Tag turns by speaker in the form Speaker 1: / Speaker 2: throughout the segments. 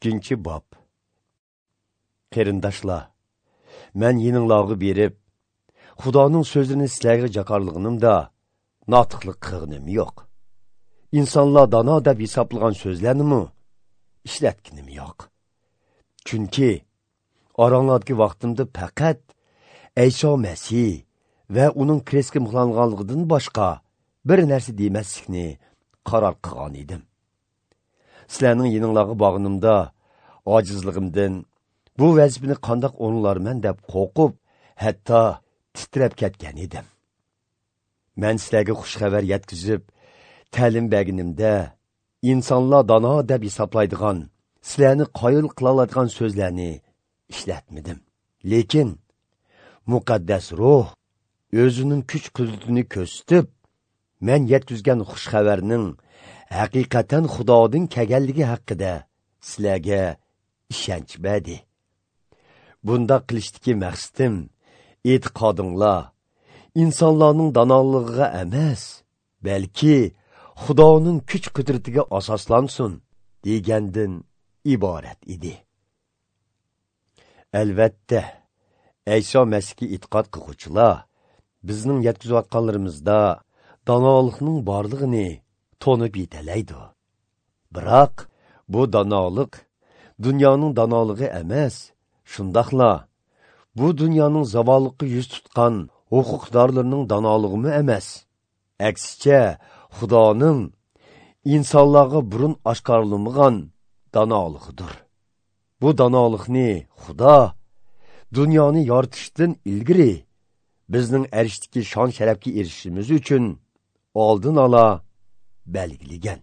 Speaker 1: 2-bob. Qarindoshlar, men yininglarga berib, Xudoning so'zini sizlarga jakarlig'inimda notiqlik qilganim yo'q. Insonlar dono deb hisoblagan so'zlarni ishlatganim yo'q. Chunki oranglardagi vaqtimda faqat Ayso Masih va uning krestga mixlanganligidan boshqa bir narsa demaslikni qaror qilgan edim. Sizlarning yininglarga borganimda ojizligimdan bu vazifani qandoq o'rinlarman deb qo'rqib, hatto titrab ketgan edim. Men sizlarga xush xabar yetkazib, ta'lim berganimda insonlar dono deb hisoblaydigan, sizlarni qoyil qila oladigan so'zlarni ishlatmadim. Lekin muqaddas ruh o'zining kuch qudratini ko'rsatib, men yetkazgan xush xabarning haqiqatan Xudodan kelganligi haqida sizlarga ishonch berdi. Bunda qilishdagi maqsadim e'tiqodinglar insonlarning donolig'iga emas, balki Xudoning kuch qudratiga asoslansin degandan iborat edi. Albatta, Ayso Masihga e'tiqod qiluvchilar bizning yetkazayotganlarimizda donolikning borlig'ini tonib yetalaydi. Biroq bu donolik dunyoning donolig'i emas, shundoqla bu dunyoning zavolliqqa yuz tutgan huquqdorlarining donolig'imi emas. Aksicha, Xudoning insonlarga burun oshkorlamagan donolig'idir. Bu donolikni Xudo dunyoni yoritishdan ilgari bizning arishdagi shon sharafga erishishimiz uchun oldin ola belgilagan.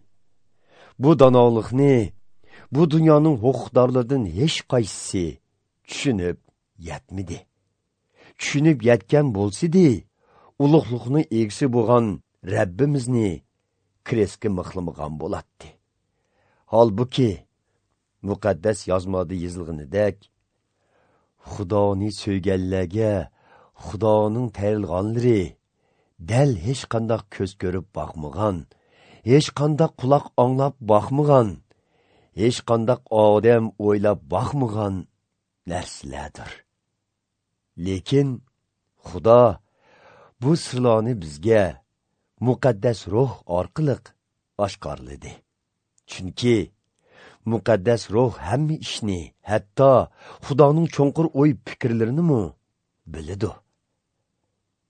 Speaker 1: Bu donolikni bu dunyoning huquqdorlaridan hech qaysisi tushunib yetmadi. Tushunib yetgan bo'lsa-di, ulug'liqning egisi bo'lgan Rabbimizni krestga mixlamagan bo'lardi. Holbuki muqaddas yozmada yozilganidek, Xudoni so'yganlarga Xudoning tayinlaganlari dal hech qanday ko'z ko'rib boqmagan, hech qanday quloq anglab boqmagan, hech qanday odam o'ylab boqmagan narsalardir. Lekin Xudo bu sirlarni bizga muqaddas ruh orqali oshkorladi. Chunki muqaddas ruh hamma ishni, hatto Xudoning cho'nqur o'y fikrlarini biladi.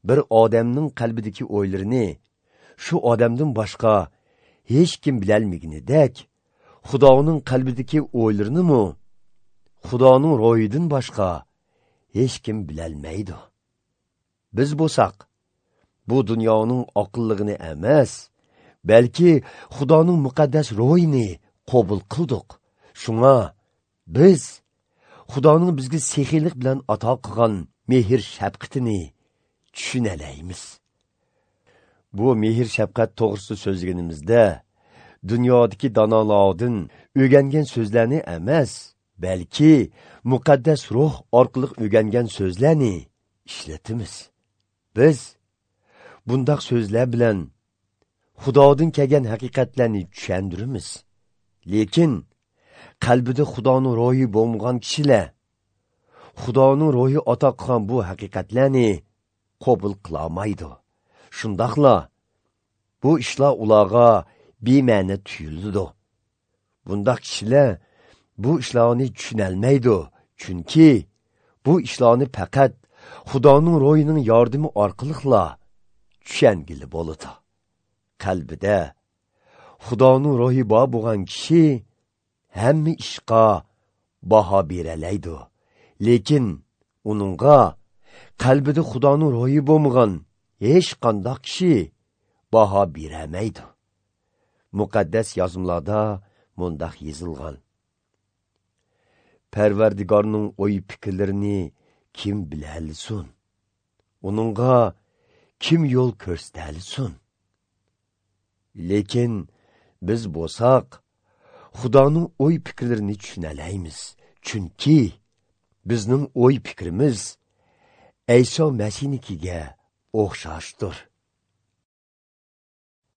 Speaker 1: Bir odamning qalbidagi o'ylarini shu odamdan boshqa hech kim bilolmaganidek, Xudoning qalbidagi o'ylarini Xudoning ro'yidan boshqa hech kim bilolmaydi. Biz bo'lsak, bu dunyoning aqlligini emas, balki Xudoning muqaddas ro'yini qabul qildik. Shunga biz Xudoning bizga sexiylik bilan ato qilgan mehr shafqatini tushunalaymiz. Bu mehr shafqat to'g'risida so'zlaganimizda dunyodagi donolardan o'rgangan so'zlarni emas, balki muqaddas ruh orqali o'rgangan so'zlarni ishlatamiz. Biz bundaq so'zlar bilan Xudodan kelgan haqiqatlarni tushuntiramiz. Lekin qalbida Xudoning ro'yi bo'lmagan kishilar Xudoning ro'yi ato qilgan bu haqiqatlarni qabul qila olmaydi. Shundoqla bu ishlar ularga bema'ni tuyuladi. Bundaq kishilar bu ishlarni tushunolmaydi, chunki bu ishlarni faqat Xudoning ro'yining yordami orqali tushungili bo'ladi. Qalbida Xudoning ro'yi bor bo'lgan kishi hamma ishga baho beralaydi. Lekin uningga qalbida Xudoning ro'yi bo'lmagan hech qanday kishi baho beramaydi. Muqaddas yozmalarda mundaq yozilgan: Parvardigorning o'y fikrlarini kim bilalisun? Uningga kim yo'l ko'rsatalisun? Lekin biz bo'lsak, Xudoning o'y fikrlarini tushunalaymiz. Chunki bizning o'y fikrimiz Ayso Masihnikiga o'xshashdir.